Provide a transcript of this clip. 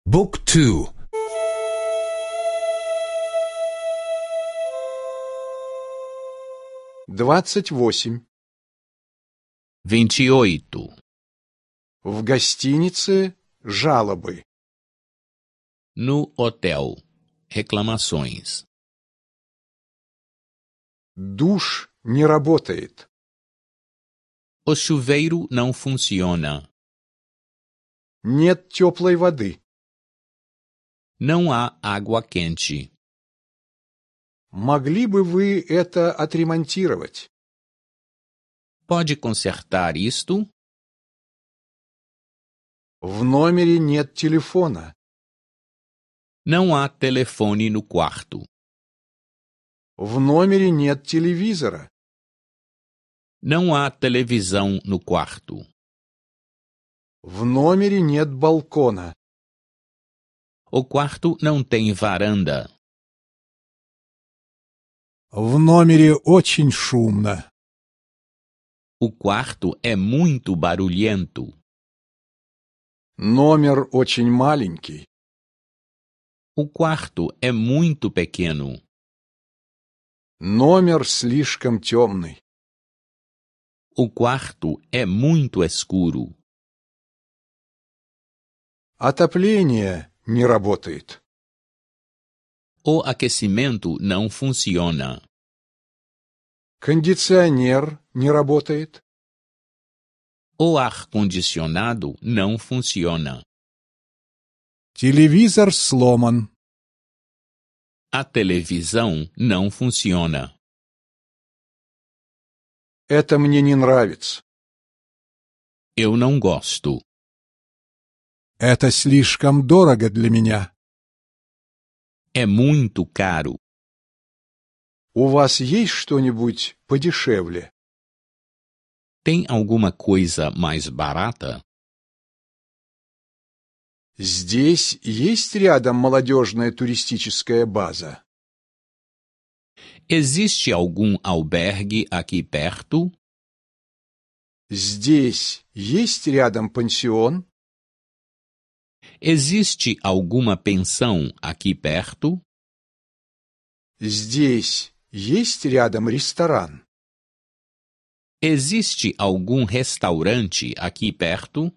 Book 2. 28. 28. В гостинице жалобы. No hotel. Reclamações. Душ не работает. O chuveiro não funciona. Нет теплой воды. Não há água quente. Могли бы вы это отремонтировать? Pode consertar isto? В номере нет телефона. Não há telefone no quarto. В номере нет телевизора. Não há televisão no quarto. В номере нет балкона. O quarto não tem varanda. В номере очень шумно. O quarto é muito barulhento. Номер очень маленький. O quarto é muito pequeno. Номер слишком темный. O quarto é muito escuro. Отопление не работает. O aquecimento não funciona. Кондиционер не работает. O ar-condicionado não funciona. Телевизор сломан. A televisão não funciona. Это мне не нравится. Eu não gosto. Это слишком дорого для меня. É muito caro. У вас есть что-нибудь подешевле? Tem alguma coisa mais barata? Здесь есть рядом молодежная туристическая база? Existe algum albergue aqui perto? Здесь есть рядом пансион? Existe alguma pensão aqui perto? Здесь есть рядом ресторан? Existe algum restaurante aqui perto?